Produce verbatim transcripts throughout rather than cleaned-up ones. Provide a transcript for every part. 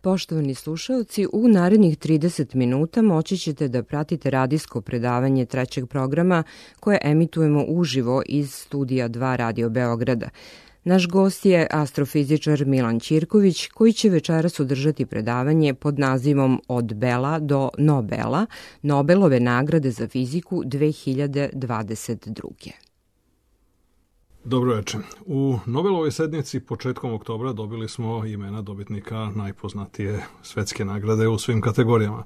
Poštovani slušalci, u narednih trideset minuta moći ćete da pratite radijsko predavanje trećeg programa koje emitujemo uživo iz studija dva Radio Beograda. Naš gost je astrofizičar Milan Ćirković, koji će večeras održati predavanje pod nazivom Od Bela do Nobela, Nobelove nagrade za fiziku dve hiljade dvadeset druge. Dobro večer. U Nobelovoj sednici početkom oktobra dobili smo imena dobitnika najpoznatije svetske nagrade u svim kategorijama.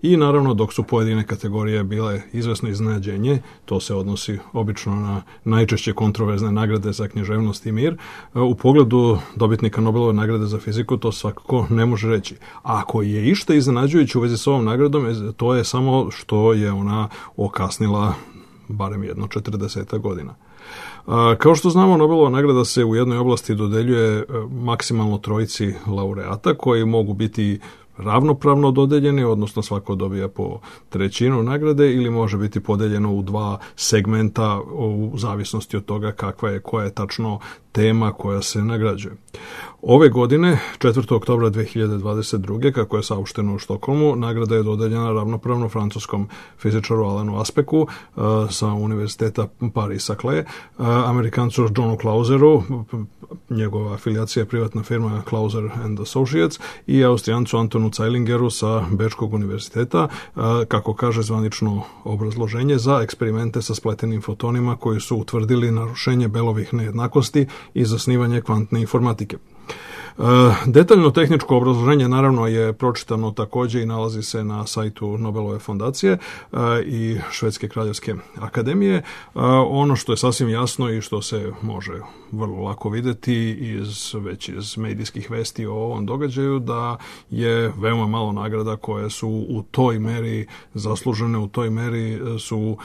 I naravno, dok su pojedine kategorije bile izvesno iznenađenje, to se odnosi obično na najčešće kontroverzne nagrade za književnost i mir, u pogledu dobitnika Nobelove nagrade za fiziku to svakako ne može reći. A ako je išta iznenađujuće u vezi s ovom nagradom, to je samo što je ona okasnila barem jedno četrdeset godina. Kao što znamo, Nobelova nagrada se u jednoj oblasti dodeljuje maksimalno trojici laureata koji mogu biti ravnopravno dodeljeni, odnosno svako dobija po trećinu nagrade, ili može biti podeljeno u dva segmenta u zavisnosti od toga kakva je, koja je tačno tema koja se nagrađuje. Ove godine, četvrtog oktobra dve hiljade dvadeset druge, kako je saopšteno u Štokholmu, nagrada je dodeljena ravnopravno francuskom fizičaru Alanu Aspectu uh, sa Univerziteta Paris-Saclay, uh, Amerikancu Johnu Clauseru, njegova afilijacija je privatna firma Clauser and Associates, i Austrijancu Antonu Zeilinger sa Bečkog univerziteta, uh, kako kaže zvanično obrazloženje, za eksperimente sa spletenim fotonima koji su utvrdili narušenje Belovih nejednakosti i zasnivanje kvantne informatike. Detaljno tehničko obrazloženje naravno je pročitano također i nalazi se na sajtu Nobelove fondacije i Švedske kraljevske akademije. Ono što je sasvim jasno i što se može vrlo lako vidjeti iz, već iz medijskih vesti o ovom događaju, da je veoma malo nagrada koje su u toj meri zaslužene, u toj meri su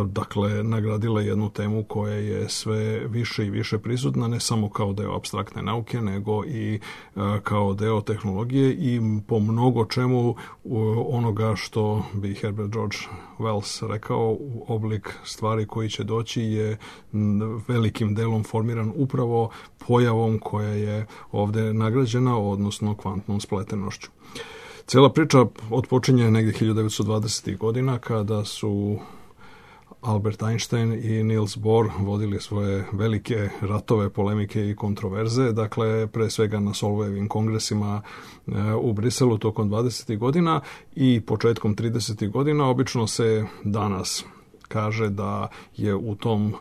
dakle nagradile jednu temu koja je sve više i više prisutna, ne samo kao deo apstraktne nauke, nego i kao deo tehnologije i po mnogo čemu onoga što bi Herbert George Wells rekao, oblik stvari koji će doći je velikim delom formiran upravo pojavom koja je ovdje nagrađena, odnosno kvantnom spletenošću. Cijela priča otpočinje negdje hiljadu devetsto dvadesetih godina kada su Albert Einstein i Niels Bohr vodili svoje velike ratove, polemike i kontroverze, dakle pre svega na Solvejevim kongresima u Briselu tokom dvadesetih godina i početkom tridesetih godina. Obično se danas kaže da je u tom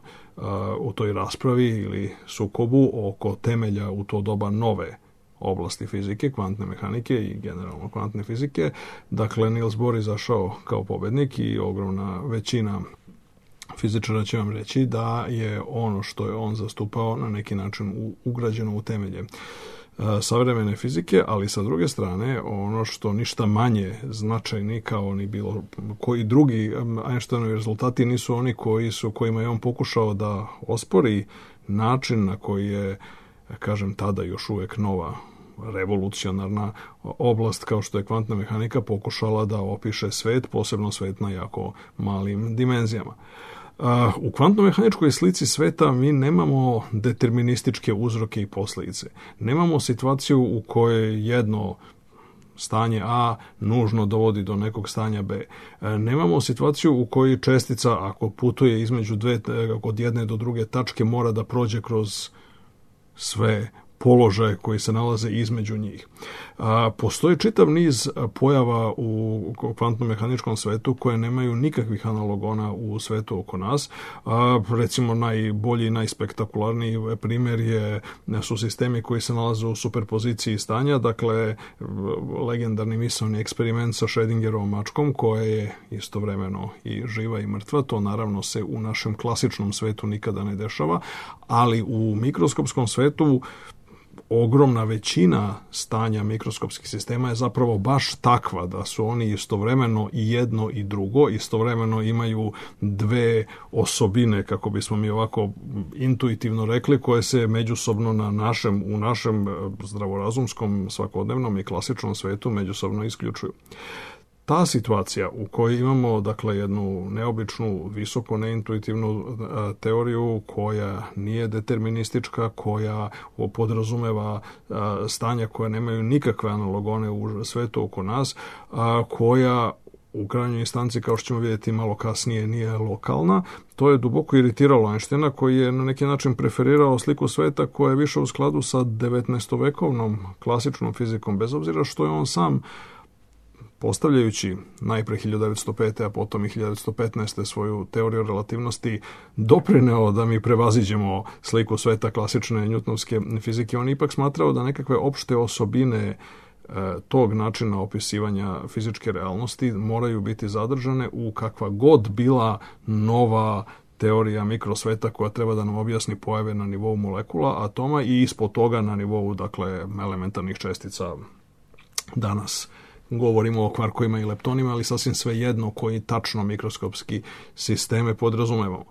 u toj raspravi ili sukobu oko temelja u to doba nove oblasti fizike, kvantne mehanike i generalno kvantne fizike, dakle Niels Bohr izašao kao pobednik i ogromna većina fizičara će vam reći da je ono što je on zastupao na neki način ugrađeno u temelje savremene fizike, ali sa druge strane ono što ništa manje značajni kao ni bilo koji drugi Einsteinovi rezultati nisu oni koji su, kojima je on pokušao da ospori način na koji je, kažem, tada još uvijek nova revolucionarna oblast kao što je kvantna mehanika pokušala da opiše svet, posebno svet na jako malim dimenzijama. U kvantno-mehaničkoj slici sveta mi nemamo determinističke uzroke i posljedice. Nemamo situaciju u kojoj jedno stanje A nužno dovodi do nekog stanja B. Nemamo situaciju u kojoj čestica, ako putuje između dve, od jedne do druge tačke, mora da prođe kroz sve položaje koji se nalaze između njih. A, postoji čitav niz pojava u kvantno-mehaničkom svetu koje nemaju nikakvih analogona u svetu oko nas. A, recimo najbolji i najspektakularniji primjer je, su sistemi koji se nalaze u superpoziciji stanja, dakle legendarni misaoni eksperiment sa Schrödingerovom mačkom koja je istovremeno i živa i mrtva. To naravno se u našem klasičnom svetu nikada ne dešava, ali u mikroskopskom svetu ogromna većina stanja mikroskopskih sistema je zapravo baš takva da su oni istovremeno i jedno i drugo, istovremeno imaju dve osobine, kako bismo mi ovako intuitivno rekli, koje se međusobno na našem, u našem zdravorazumskom, svakodnevnom i klasičnom svetu međusobno isključuju. ta situacija u kojoj imamo dakle jednu neobičnu, visoko neintuitivnu teoriju koja nije deterministička, koja podrazumeva stanja koja nemaju nikakve analogone u svetu oko nas, koja u krajnjoj instanci, kao što ćemo vidjeti malo kasnije, nije lokalna. To je duboko iritiralo Einsteina, koji je na neki način preferirao sliku sveta koja je više u skladu sa devetnaestovekovnom klasičnom fizikom, bez obzira što je on sam, postavljajući najpre hiljadu devetsto pete. a potom i hiljadu devetsto petnaeste. svoju teoriju relativnosti, doprineo da mi prevaziđemo sliku sveta klasične njutnovske fizike. On ipak smatrao da nekakve opšte osobine tog načina opisivanja fizičke realnosti moraju biti zadržane u kakva god bila nova teorija mikrosveta koja treba da nam objasni pojave na nivou molekula, atoma i ispod toga na nivou, dakle, elementarnih čestica. Danas govorimo o kvarkovima i leptonima, ali sasvim svejedno koji tačno mikroskopski sisteme podrazumevamo.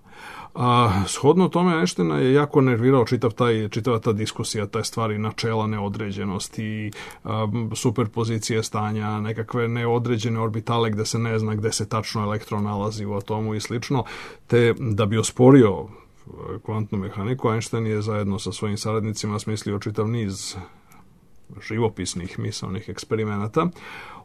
A shodno tome Einsteina je jako nervirao čitav taj, čitava ta diskusija, taj stvari načela neodređenosti, um, superpozicije stanja, nekakve neodređene orbitale gde se ne zna gde se tačno elektron nalazi u atomu i slično, te da bi osporio kvantnu mehaniku, Einstein je zajedno sa svojim saradnicima smislio čitav niz živopisnih misaonih eksperimenata,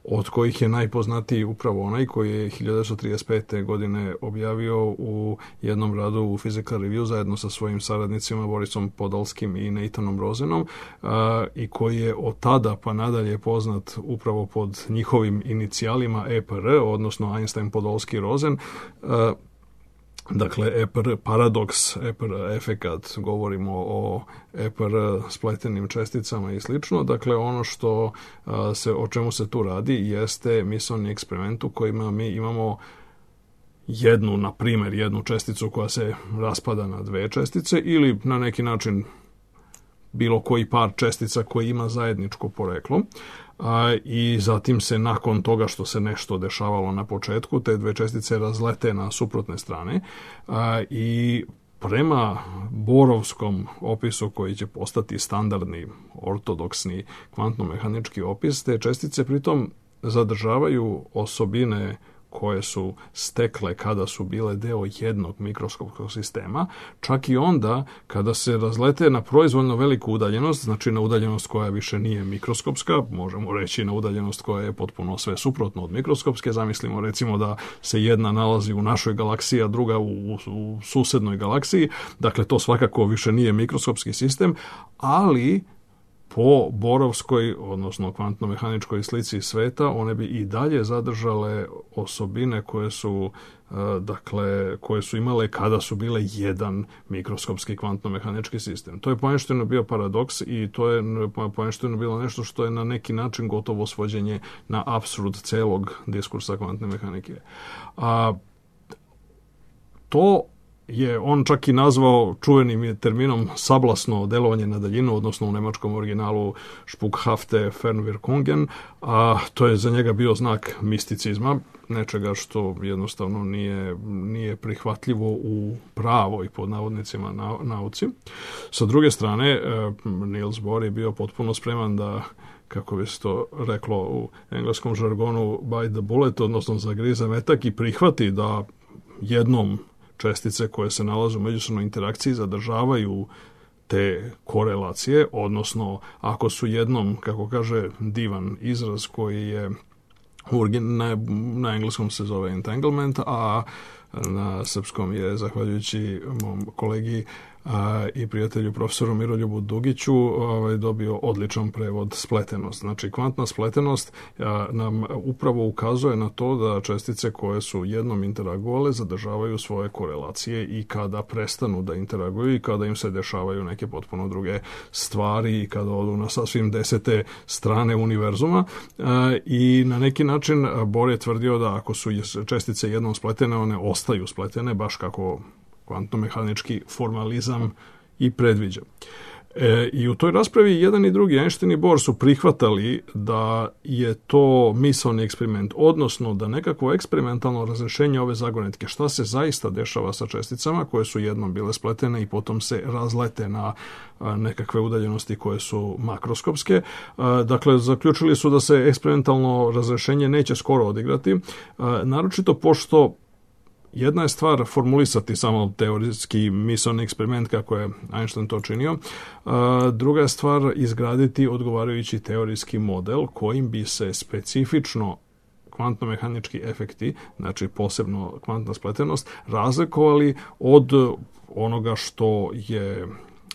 od kojih je najpoznatiji upravo onaj koji je hiljadu devetsto trideset pete. godine objavio u jednom radu u Physical Review zajedno sa svojim saradnicima Borisom Podolskim i Nathanom Rosenom, a, i koji je od tada pa nadalje poznat upravo pod njihovim inicijalima E P R, odnosno Einstein, Podolski, Rosen. A, Dakle, E P R paradoks, E P R efekat, govorimo o E P R spletenim česticama i slično. Dakle, ono što se, o čemu se tu radi jeste misaoni eksperiment u kojima mi imamo jednu, na primjer, jednu česticu koja se raspada na dve čestice ili na neki način bilo koji par čestica koji ima zajedničko poreklo. A, i zatim se nakon toga što se nešto dešavalo na početku, te dve čestice razlete na suprotne strane a, i prema borovskom opisu koji će postati standardni, ortodoksni kvantno-mehanički opis, te čestice pritom zadržavaju osobine koje su stekle kada su bile deo jednog mikroskopskog sistema, čak i onda kada se razlete na proizvoljno veliku udaljenost, znači na udaljenost koja više nije mikroskopska, možemo reći na udaljenost koja je potpuno sve suprotno od mikroskopske. Zamislimo recimo da se jedna nalazi u našoj galaksiji, a druga u, u, u susednoj galaksiji, dakle to svakako više nije mikroskopski sistem, ali po borovskoj, odnosno kvantno-mehaničkoj slici sveta, one bi i dalje zadržale osobine koje su, dakle, koje su imale kada su bile jedan mikroskopski kvantno-mehanički sistem. To je po Einsteinu bio paradoks i to je po Einsteinu bilo nešto što je na neki način gotovo svođenje na apsurd celog diskursa kvantne mehanike. A to je on čak i nazvao čuvenim terminom sablasno delovanje na daljinu, odnosno u nemačkom originalu Spukhafte Fernwirkungen, a to je za njega bio znak misticizma, nečega što jednostavno nije, nije prihvatljivo u pravoj, pod navodnicima, na, nauci. Sa druge strane, Niels Bohr je bio potpuno spreman da, kako bi se to reklo u engleskom žargonu, bite the bullet, odnosno zagrize metak i prihvati da jednom čestice koje se nalaze u međusobnoj interakciji zadržavaju te korelacije, odnosno ako su jednom, kako kaže divan izraz koji je na, na engleskom se zove entanglement, a na srpskom je, zahvaljujući mom kolegi a, i prijatelju profesoru Miroljubu Dugiću, ovaj, dobio odličan prevod spletenost. Znači, kvantna spletenost a, nam upravo ukazuje na to da čestice koje su jednom interagovale zadržavaju svoje korelacije i kada prestanu da interaguju i kada im se dešavaju neke potpuno druge stvari i kada odu na sasvim desete strane univerzuma. A, I na neki način Bohr je tvrdio da ako su čestice jednom spletene, one ostaju spletene, baš kako kvantno-mehanički formalizam i predviđa. E, I u toj raspravi jedan i drugi, Einstein i Bohr, su prihvatali da je to misaoni eksperiment, odnosno da nekakvo eksperimentalno razrešenje ove zagonetke, šta se zaista dešava sa česticama koje su jednom bile spletene i potom se razlete na a, nekakve udaljenosti koje su makroskopske. A, dakle, zaključili su da se eksperimentalno razrešenje neće skoro odigrati, a, naročito pošto jedna je stvar formulisati samo teorijski misaoni eksperiment kako je Einstein to činio, druga je stvar izgraditi odgovarajući teorijski model kojim bi se specifično kvantno-mehanički efekti, znači posebno kvantna spletenost, razlikovali od onoga što je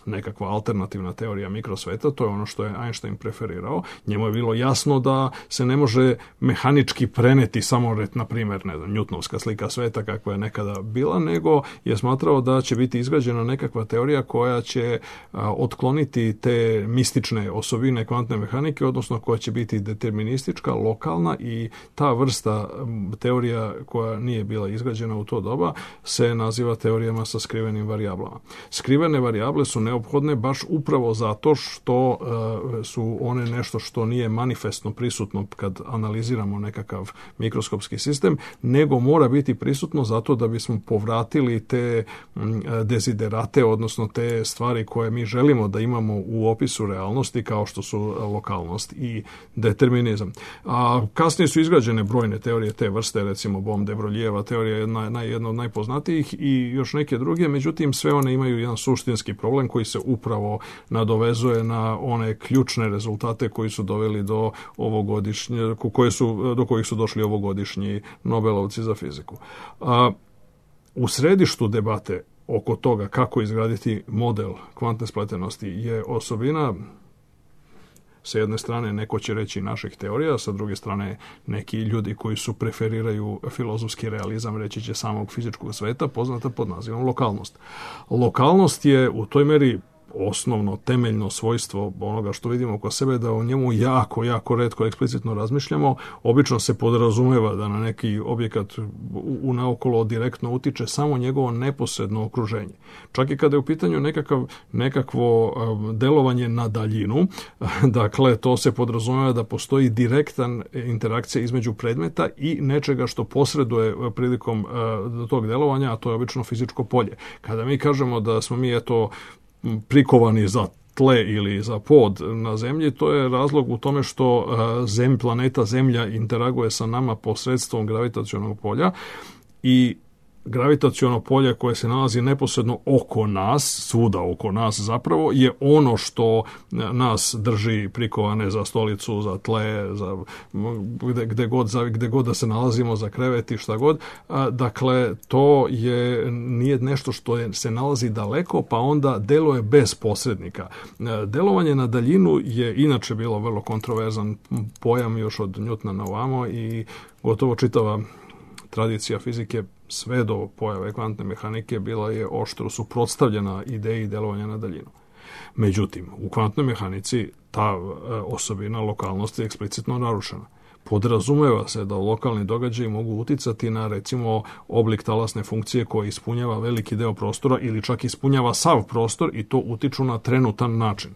nekakva alternativna teorija mikrosveta, to je ono što je Einstein preferirao. Njemu je bilo jasno da se ne može mehanički preneti samo, na primjer, ne znam, Newtonovska slika sveta kakva je nekada bila, nego je smatrao da će biti izgrađena nekakva teorija koja će a, otkloniti te mistične osobine kvantne mehanike, odnosno koja će biti deterministička, lokalna, i ta vrsta m, teorija koja nije bila izgrađena u to doba se naziva teorijama sa skrivenim varijablama. Skrivene varijable su neophodne baš upravo zato što uh, su one nešto što nije manifestno prisutno kad analiziramo nekakav mikroskopski sistem, nego mora biti prisutno zato da bismo povratili te um, deziderate, odnosno te stvari koje mi želimo da imamo u opisu realnosti, kao što su lokalnost i determinizam. A kasnije su izgrađene brojne teorije te vrste, recimo Bohm-de-Broglieova teorija je jedna, jedna od najpoznatijih i još neke druge, međutim sve one imaju jedan suštinski problem koji se upravo nadovezuje na one ključne rezultate koji su doveli do ovogodišnje, koje su, do kojih su došli ovogodišnji Nobelovci za fiziku. A, u središtu debate oko toga kako izgraditi model kvantne spletenosti je osobina, sa jedne strane neko će reći naših teorija, sa druge strane neki ljudi koji su preferiraju filozofski realizam, reći će samog fizičkog sveta, poznata pod nazivom lokalnost. Lokalnost je u toj meri osnovno, temeljno svojstvo onoga što vidimo oko sebe, da o njemu jako, jako retko eksplicitno razmišljamo. Obično se podrazumeva da na neki objekat u naokolo direktno utiče samo njegovo neposredno okruženje. Čak i kada je u pitanju nekakav, nekakvo delovanje na daljinu, dakle, to se podrazumeva da postoji direktan interakcija između predmeta i nečega što posreduje prilikom tog delovanja, a to je obično fizičko polje. Kada mi kažemo da smo mi, eto, prikovani za tle ili za pod na zemlji, to je razlog u tome što zem, planeta Zemlja interaguje sa nama posredstvom gravitacionog polja i gravitaciono polje koje se nalazi neposredno oko nas, svuda oko nas zapravo, je ono što nas drži prikovane za stolicu, za tle, za gde, gde, god, za, gde god da se nalazimo, za krevet i šta god. Dakle, to je, nije nešto što je, se nalazi daleko, pa onda deluje bez posrednika. Delovanje na daljinu je inače bilo vrlo kontroverzan pojam još od Newtona na ovamo i gotovo čitava tradicija fizike sve do pojave kvantne mehanike bila je oštro suprotstavljena ideji delovanja na daljinu. Međutim, u kvantnoj mehanici ta osobina lokalnosti je eksplicitno narušena. Podrazumeva se da lokalni događaji mogu uticati na, recimo, oblik talasne funkcije koja ispunjava veliki deo prostora ili čak ispunjava sav prostor i to utiču na trenutan način.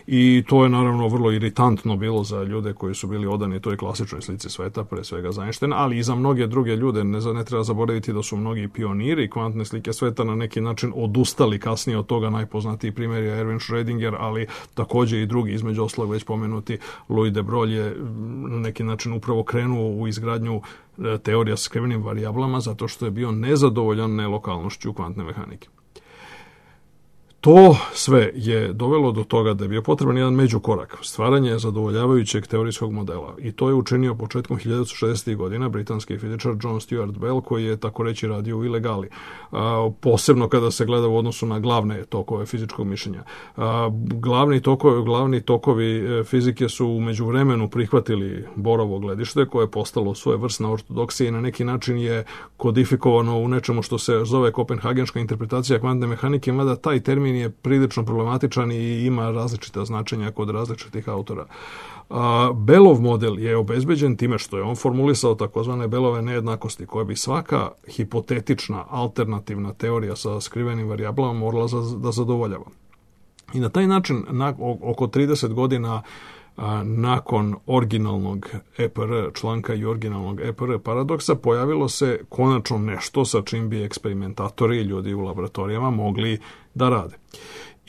I to je naravno vrlo iritantno bilo za ljude koji su bili odani toj klasičnoj slici sveta, pre svega za Einsteina, ali i za mnoge druge ljude. Ne, ne treba zaboraviti da su mnogi pioniri kvantne slike sveta na neki način odustali kasnije od toga. Najpoznatiji primjer je Erwin Schrödinger, ali također i drugi, između ostalog već pomenuti Louis de Broglie je na neki način upravo krenuo u izgradnju teorija sa skrivenim varijablama zato što je bio nezadovoljan nelokalnošću kvantne mehanike. To sve je dovelo do toga da je bio potreban jedan međukorak, stvaranje zadovoljavajućeg teorijskog modela. I to je učinio početkom hiljadu šezdesetih godina britanski fizičar John Stuart Bell, koji je tako reći radio u ilegali. A, posebno kada se gleda u odnosu na glavne tokove fizičkog mišljenja. A, glavni, tokovi, glavni tokovi fizike su u međuvremenu prihvatili Bohrovo gledište, koje je postalo svojevrsna ortodoksija i na neki način je kodifikovano u nečemu što se zove kopenhagenška interpretacija kvantne mehanike, mada taj termin je prilično problematičan i ima različita značenja kod različitih autora. A, Bellov model je obezbeđen time što je on formulisao takozvane Bellove nejednakosti, koje bi svaka hipotetična alternativna teorija sa skrivenim varijablama morala za, da zadovoljava. I na taj način, na, oko trideset godina a, nakon originalnog E P R članka i originalnog E P R paradoksa, pojavilo se konačno nešto sa čim bi eksperimentatori i ljudi u laboratorijama mogli da rade.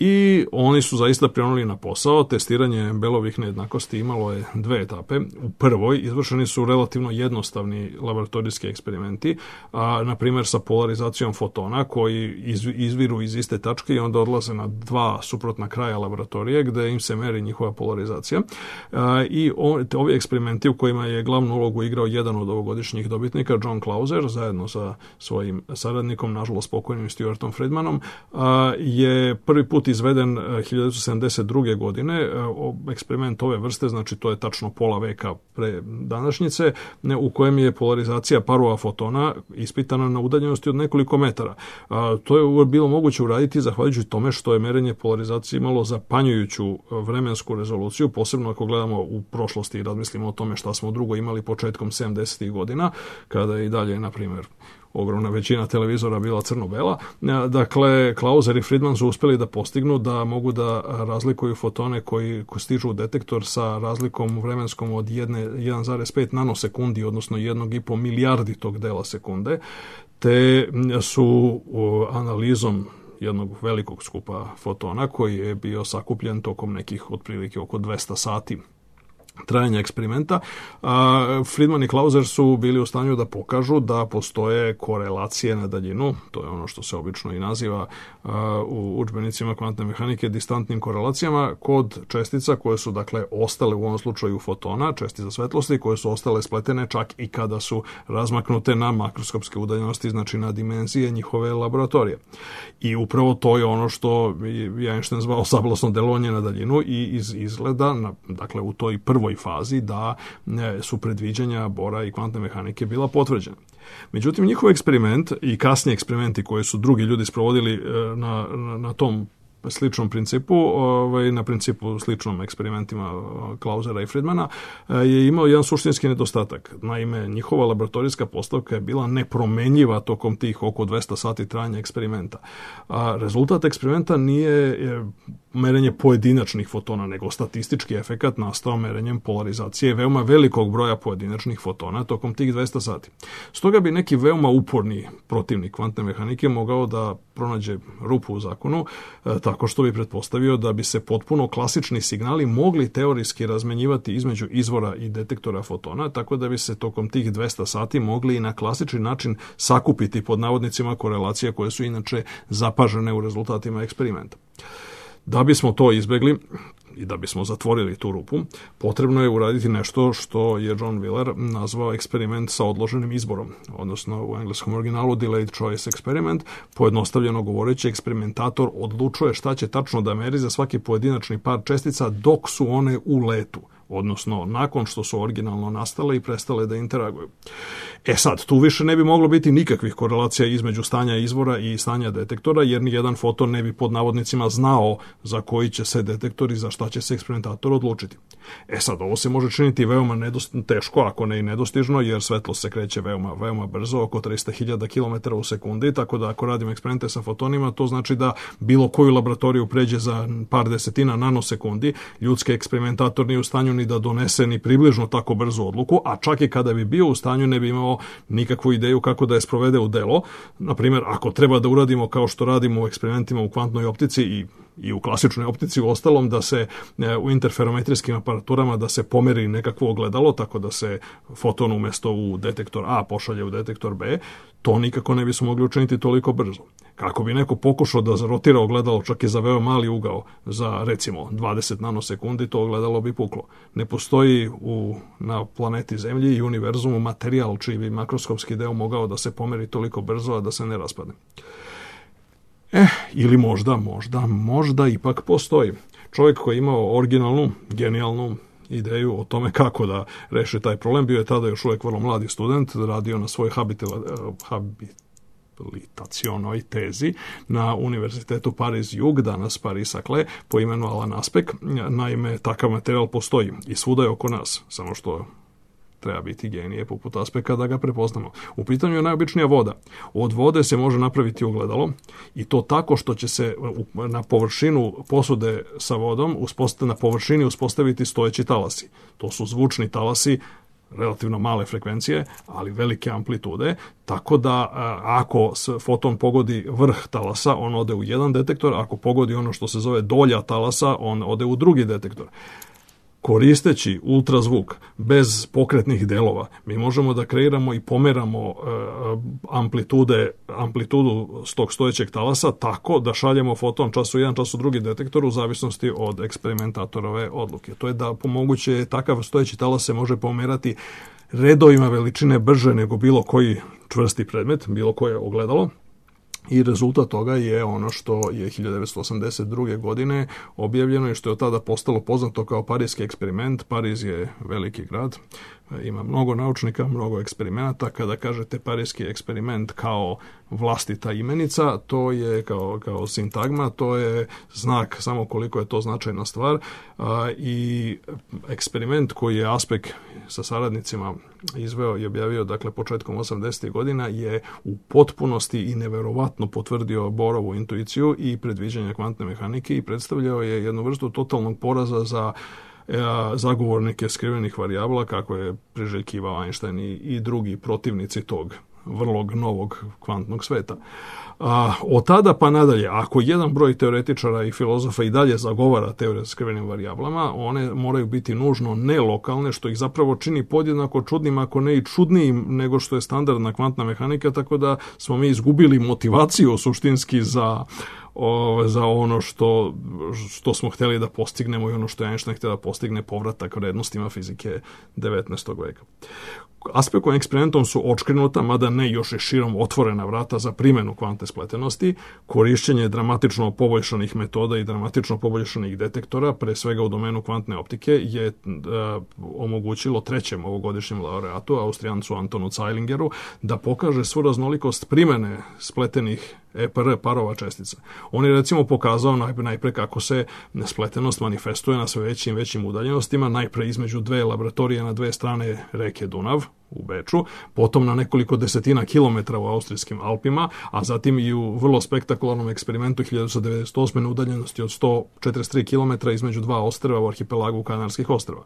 I oni su zaista prionuli na posao. Testiranje Bellovih nejednakosti imalo je dve etape. U prvoj izvršeni su relativno jednostavni laboratorijski eksperimenti, a, na primjer sa polarizacijom fotona koji iz, izviru iz iste tačke i onda odlaze na dva suprotna kraja laboratorije gde im se meri njihova polarizacija. A, I on, ovi eksperimenti u kojima je glavnu ulogu igrao jedan od ovogodišnjih dobitnika, John Clauser, zajedno sa svojim saradnikom, nažalost pokojnim Stuartom Friedmanom, a, je prvi put izveden hiljadu devetsto sedamdeset druge. godine. Eksperiment ove vrste, znači to je tačno pola veka pre današnjice, u kojem je polarizacija parova fotona ispitana na udaljenosti od nekoliko metara. To je bilo moguće uraditi zahvaljujući tome što je merenje polarizacije imalo zapanjujuću vremensku rezoluciju, posebno ako gledamo u prošlosti i razmislimo o tome šta smo drugo imali početkom sedamdesetih godina, kada je i dalje, na primjer, ogromna većina televizora bila crno-bela. Dakle, Clauser i Friedman su uspeli da postignu da mogu da razlikuju fotone koji stižu u detektor sa razlikom vremenskom od jedan zarez pet nanosekundi, odnosno jednog i po milijardi tog dela sekunde, te su analizom jednog velikog skupa fotona koji je bio sakupljen tokom nekih otprilike oko dvesta sati trajanja eksperimenta, a Friedman i Clauser su bili u stanju da pokažu da postoje korelacije na daljinu, to je ono što se obično i naziva a, u udžbenicima kvantne mehanike distantnim korelacijama, kod čestica koje su dakle ostale u ovom slučaju fotona, čestica svetlosti, koje su ostale spletene čak i kada su razmaknute na makroskopske udaljenosti, znači na dimenzije njihove laboratorije. I upravo to je ono što je Einstein zvao sablasno delovanje na daljinu i iz izgleda, na, dakle u toj prvoj fazi da su predviđanja Bora i kvantne mehanike bila potvrđena. Međutim, njihov eksperiment i kasniji eksperimenti koje su drugi ljudi sprovodili na, na, na tom sličnom principu, ovaj, na principu sličnom eksperimentima Clausera i Friedmana, je imao jedan suštinski nedostatak. Naime, njihova laboratorijska postavka je bila nepromenjiva tokom tih oko dvesta sati trajanja eksperimenta. A rezultat eksperimenta nije merenje pojedinačnih fotona, nego statistički efekat nastao merenjem polarizacije veoma velikog broja pojedinačnih fotona tokom tih dvesta sati. Stoga bi neki veoma uporni protivnik kvantne mehanike mogao da pronađe rupu u zakonu, tako što bi pretpostavio da bi se potpuno klasični signali mogli teorijski razmenjivati između izvora i detektora fotona, tako da bi se tokom tih dvesta sati mogli i na klasični način sakupiti pod navodnicima korelacije koje su inače zapažene u rezultatima eksperimenta. Da bismo to izbegli i da bismo zatvorili tu rupu, potrebno je uraditi nešto što je John Wheeler nazvao eksperiment sa odloženim izborom, odnosno u engleskom originalu delayed choice experiment. Pojednostavljeno govoreći, eksperimentator odlučuje šta će tačno da meri za svaki pojedinačni par čestica dok su one u letu, odnosno nakon što su originalno nastale i prestale da interaguju. E sad, tu više ne bi moglo biti nikakvih korelacija između stanja izvora i stanja detektora, jer ni jedan foton ne bi pod navodnicima znao za koji će se detektor i za šta će se eksperimentator odlučiti. E sad, ovo se može činiti veoma nedost, teško, ako ne i nedostižno, jer svetlost se kreće veoma, veoma brzo, oko trista hiljada kilometara u sekundi, tako da ako radimo eksperimente sa fotonima, to znači da bilo koju laboratoriju pređe za par desetina nanosekundi, ljudski eksperimentator nije u stanju ni da donese ni približno tako brzu odluku, a čak i kada bi bio u stanju ne bi imao nikakvu ideju kako da je sprovede u delo. Naprimjer, ako treba da uradimo kao što radimo u eksperimentima u kvantnoj optici i i u klasičnoj optici, u ostalom da se u interferometrijskim aparaturama da se pomeri nekakvo ogledalo, tako da se foton umjesto u detektor A pošalje u detektor B, to nikako ne bismo mogli učiniti toliko brzo. Kako bi neko pokušao da zarotira ogledalo čak i za veoma mali ugao, za recimo dvadeset nanosekundi, to ogledalo bi puklo. Ne postoji u, na planeti Zemlji i univerzumu materijal čiji bi makroskopski deo mogao da se pomeri toliko brzo, a da se ne raspadne. Eh, ili možda, možda, možda ipak postoji. Čovjek koji je imao originalnu, genijalnu ideju o tome kako da reši taj problem, bio je tada još uvijek vrlo mladi student, radio na svojoj habilitacionoj tezi na Univerzitetu Paris-Jug, danas Paris-Saclay, po imenu Alan Aspect. Naime, takav materijal postoji i svuda je oko nas, samo što treba biti genije poput Aspeka da ga prepoznamo. U pitanju je najobičnija voda. Od vode se može napraviti ogledalo i to tako što će se na površinu posude sa vodom na površini uspostaviti stojeći talasi. To su zvučni talasi, relativno male frekvencije, ali velike amplitude, tako da ako foton pogodi vrh talasa, on ode u jedan detektor, ako pogodi ono što se zove dolja talasa, on ode u drugi detektor. Koristeći ultrazvuk bez pokretnih delova, mi možemo da kreiramo i pomeramo amplitude, amplitudu tog stojećeg talasa tako da šaljemo foton čas u jedan, čas u drugi detektor u zavisnosti od eksperimentatorove odluke. To je da pomoguće takav stojeći talas se može pomerati redovima veličine brže nego bilo koji čvrsti predmet, bilo koje ogledalo. I rezultat toga je ono što je hiljadu devetsto osamdeset druge. godine objavljeno i što je od tada postalo poznato kao Parijski eksperiment. Pariz je veliki grad, ima mnogo naučnika, mnogo eksperimenata. Kada kažete Parijski eksperiment kao vlastita imenica, to je kao, kao sintagma, to je znak samo koliko je to značajna stvar. A, i eksperiment koji je Aspek sa saradnicima izveo i objavio, dakle, početkom osamdesetih godina, je u potpunosti i neverovatno potvrdio Borovu intuiciju i predviđanja kvantne mehanike i predstavljao je jednu vrstu totalnog poraza za zagovornike skrivenih varijabla, kako je priželjkivao Einstein i, i drugi protivnici tog vrlo novog kvantnog sveta. A, od tada pa nadalje, ako jedan broj teoretičara i filozofa i dalje zagovara teorije s skrivenim varijablama, one moraju biti nužno nelokalne, što ih zapravo čini podjednako čudnim, ako ne i čudnijim nego što je standardna kvantna mehanika, tako da smo mi izgubili motivaciju suštinski za O, za ono što, što smo hteli da postignemo i ono što je Einstein htio da postigne, povratak vrednostima fizike devetnaestog veka. Aspektovim eksperimentom su očkrenuta, mada ne još je širom otvorena vrata za primjenu kvantne spletenosti, korišćenje dramatično poboljšanih metoda i dramatično poboljšanih detektora, pre svega u domenu kvantne optike, je e, omogućilo trećem ovogodišnjem laureatu, Austrijancu Antonu Zeilingeru, da pokaže svu raznolikost primjene spletenih E P R parova čestica. On je recimo pokazao najpre kako se spletenost manifestuje na sve većim većim udaljenostima, najpre između dve laboratorije na dve strane reke Dunav u Beču, potom na nekoliko desetina kilometra u austrijskim Alpima, a zatim i u vrlo spektakularnom eksperimentu hiljadu devetsto devedeset osme na udaljenosti od sto četrdeset tri kilometra između dva ostrva u arhipelagu Kanarskih ostrva.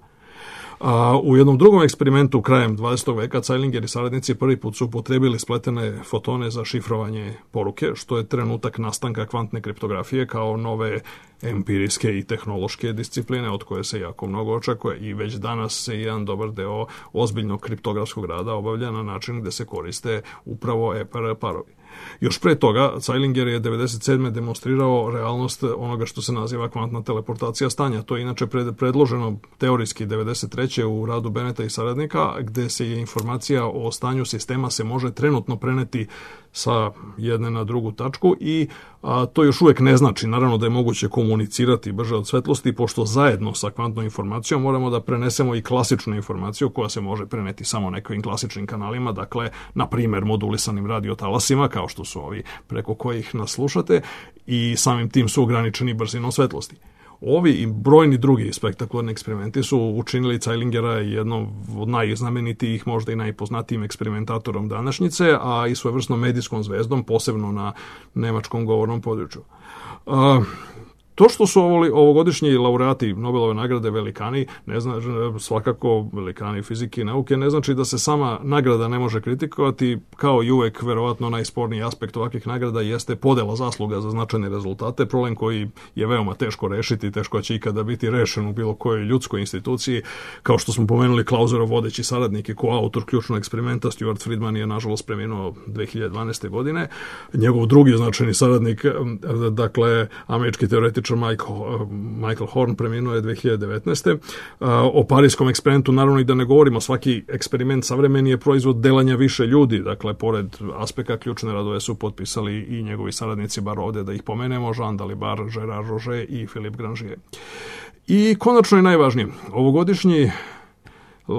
A u jednom drugom eksperimentu krajem dvadesetog veka Zeilinger i saradnici prvi put su upotrebili spletene fotone za šifrovanje poruke, što je trenutak nastanka kvantne kriptografije kao nove empirijske i tehnološke discipline od koje se jako mnogo očekuje i već danas se jedan dobar deo ozbiljnog kriptografskog rada obavlja na način gde se koriste upravo E P R parovi. Još pre toga, Zeilinger je devedeset sedme demonstrirao realnost onoga što se naziva kvantna teleportacija stanja. To je inače predloženo teorijski devedeset treće u radu Beneta i saradnika, gde se je informacija o stanju sistema se može trenutno preneti sa jedne na drugu tačku i a, to još uvijek ne znači, naravno, da je moguće komunicirati brže od svetlosti, pošto zajedno sa kvantnom informacijom moramo da prenesemo i klasičnu informaciju koja se može preneti samo nekim klasičnim kanalima, dakle, na primjer, modulisanim radiotalasima, kao što su ovi preko kojih nas slušate, i samim tim su ograničeni brzinom svetlosti. Ovi i brojni drugi spektakularni eksperimenti su učinili Zeilingera jednom od najznamenitijih, možda i najpoznatijim eksperimentatorom današnjice, a i svojevrsnom medijskom zvezdom, posebno na nemačkom govornom području. Uh, To što su ovogodišnji laureati Nobelove nagrade velikani, ne zna, svakako velikani fizike i nauke, ne znači da se sama nagrada ne može kritikovati, kao i uvek verovatno najsporniji aspekt ovakvih nagrada jeste podela zasluga za značajne rezultate, problem koji je veoma teško rešiti, teško će ikada biti rešen u bilo kojoj ljudskoj instituciji, kao što smo pomenuli Clauserov vodeći saradnik i koautor ključnog eksperimenta, Stuart Friedman je nažalost preminuo dve hiljade dvanaeste. godine, njegov drugi značajni saradnik, dakle američki teoretičar Michael, Michael Horn preminuo je dve hiljade devetnaeste. O parijskom eksperimentu naravno i da ne govorimo, svaki eksperiment savremeni je proizvod delanja više ljudi, dakle pored Aspeka ključne radove su potpisali i njegovi saradnici, bar ovde da ih pomenemo, Jean Dalibard, Gerard Roger i Philippe Grangier. I konačno je najvažnije, ovogodišnji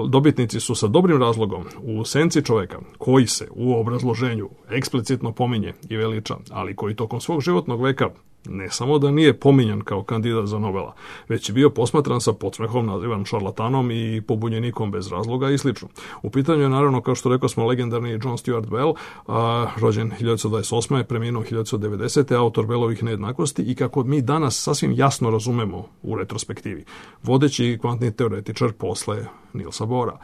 dobitnici su sa dobrim razlogom u senci čoveka, koji se u obrazloženju eksplicitno pominje i veliča, ali koji tokom svog životnog veka Ne samo da nije pominjan kao kandidat za Nobela, već je bio posmatran sa podsmehom, nazivan šarlatanom i pobunjenikom bez razloga i slično. U pitanju je naravno, kao što rekao smo, legendarni John Stuart Bell, a, rođen hiljadu devetsto dvadeset osme. preminuo hiljadu devetsto devedesete. autor Bellovih nejednakosti i kako mi danas sasvim jasno razumemo u retrospektivi, vodeći kvantni teoretičar posle Nielsa Bohra.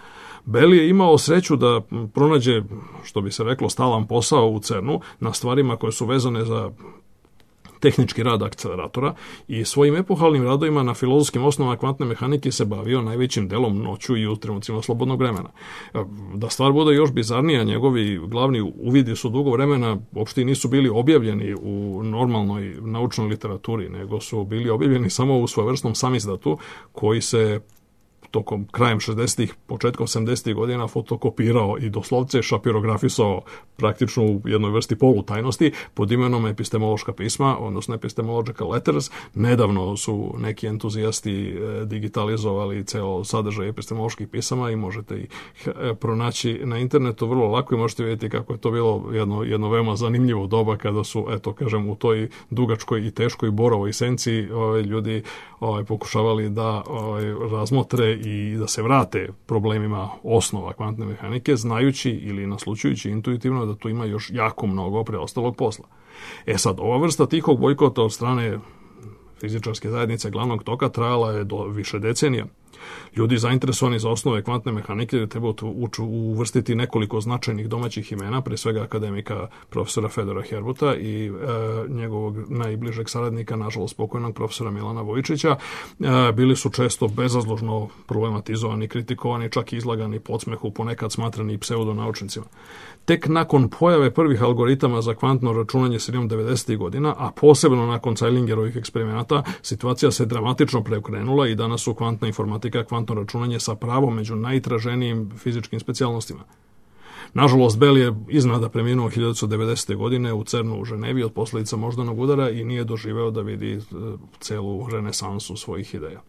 Bell je imao sreću da pronađe, što bi se reklo, stalan posao u CERNu na stvarima koje su vezane za tehnički rad akceleratora i svojim epohalnim radovima na filozofskim osnovama kvantne mehanike se bavio najvećim delom noću i u trenucima slobodnog vremena. Da stvar bude još bizarnija, njegovi glavni uvidi su dugo vremena uopšte nisu bili objavljeni u normalnoj naučnoj literaturi, nego su bili objavljeni samo u svojevrsnom samizdatu koji se tokom krajem šezdesetih, početkom sedamdesetih godina fotokopirao i doslovce šapirografisao praktično u jednoj vrsti polutajnosti pod imenom epistemološka pisma, odnosno epistemological letters. Nedavno su neki entuzijasti digitalizovali ceo sadržaj epistemoloških pisama i možete ih pronaći na internetu vrlo lako i možete vidjeti kako je to bilo jedno, jedno veoma zanimljivo doba kada su, eto kažem, u toj dugačkoj i teškoj borovoj senci ovaj, ljudi ovaj, pokušavali da ovaj, razmotre i da se vrate problemima osnova kvantne mehanike, znajući ili naslučujući intuitivno da tu ima još jako mnogo preostalog posla. E sad, ova vrsta tihog bojkota od strane fizičarske zajednice glavnog toka trajala je do više decenija. Ljudi zainteresovani za osnove kvantne mehanike treba uvrstiti nekoliko značajnih domaćih imena, pre svega akademika profesora Fedora Herbuta i e, njegovog najbližeg saradnika, nažalost pokojnog profesora Milana Vojičića. E, bili su često bezazložno problematizovani, kritikovani, čak i izlagani podsmehu, ponekad smatrani pseudonaučnicima. Tek nakon pojave prvih algoritama za kvantno računanje sredinom devedesetih godina, a posebno nakon Zeilingerovih eksperimenata, situacija se dramatično preokrenula i danas su kvantna informatika, kvantno računanje sa pravom među najtraženijim fizičkim specijalnostima. Nažalost, Bell je iznada preminuo hiljadu devetsto devedesete. godine u CERNu u Ženevi od posljedica moždanog udara i nije doživeo da vidi celu renesansu svojih ideja.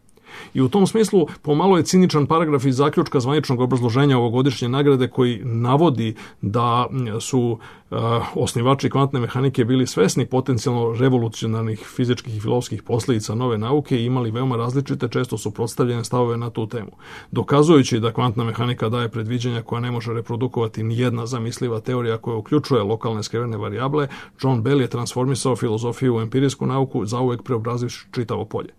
I u tom smislu pomalo je ciničan paragraf iz zaključka zvaničnog obrazloženja ovogodišnje nagrade koji navodi da su uh, osnivači kvantne mehanike bili svesni potencijalno revolucionarnih fizičkih i filozofskih posljedica nove nauke i imali veoma različite, često suprotstavljene stavove na tu temu. Dokazujući da kvantna mehanika daje predviđanja koja ne može reprodukovati ni jedna zamisliva teorija koja uključuje lokalne skrivene varijable, John Bell je transformisao filozofiju u empirijsku nauku, zauvek preobrazivši čitavo polje.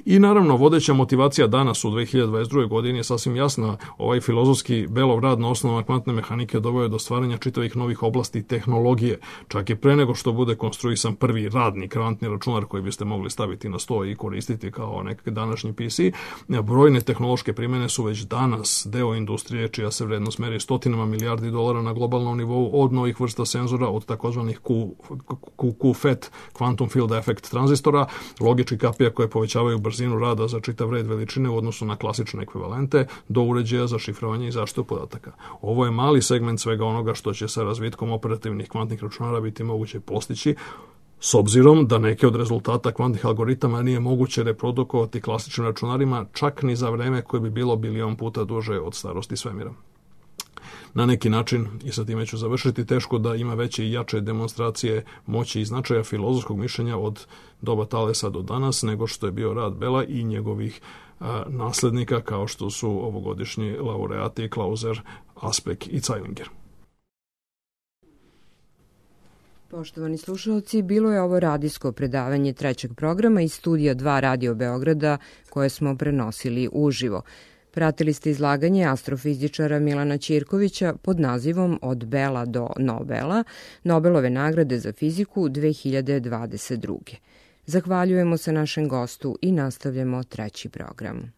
I naravno, vodeća motivacija danas u dve hiljade dvadeset druge. godini je sasvim jasna. Ovaj filozofski Bellov rad na osnovama kvantne mehanike doveo je do stvaranja čitavih novih oblasti tehnologije, čak i pre nego što bude konstruisan prvi radni kvantni računar koji biste mogli staviti na sto i koristiti kao neki današnji P C. Brojne tehnološke primjene su već danas deo industrije čija se vrednost meri stotinama milijardi dolara na globalnom nivou, od novih vrsta senzora, od takozvanih Q, Q, Q F E T, Quantum Field Effect tranzistora, logičkih kapija koje povećavaju brzinu rada za čitav red veličine u odnosu na klasične ekvivalente, do uređaja za šifrovanje i zaštitu podataka. Ovo je mali segment svega onoga što će sa razvitkom operativnih kvantnih računara biti moguće postići, s obzirom da neke od rezultata kvantnih algoritama nije moguće reprodukovati klasičnim računarima čak ni za vreme koje bi bilo bilion puta duže od starosti svemira. Na neki način, i sa time ću završiti, teško da ima veće i jače demonstracije moći i značaja filozofskog mišljenja od doba Thalesa do danas, nego što je bio rad Bella i njegovih a, naslednika, kao što su ovogodišnji laureati Clauser, Aspek i Zeilinger. Poštovani slušalci, bilo je ovo radijsko predavanje trećeg programa iz studija dva Radio Beograda koje smo prenosili uživo. Pratili ste izlaganje astrofizičara Milana Ćirkovića pod nazivom Od Bella do Nobela, Nobelove nagrade za fiziku dve hiljade dvadeset druge. Zahvaljujemo se našem gostu i nastavljamo treći program.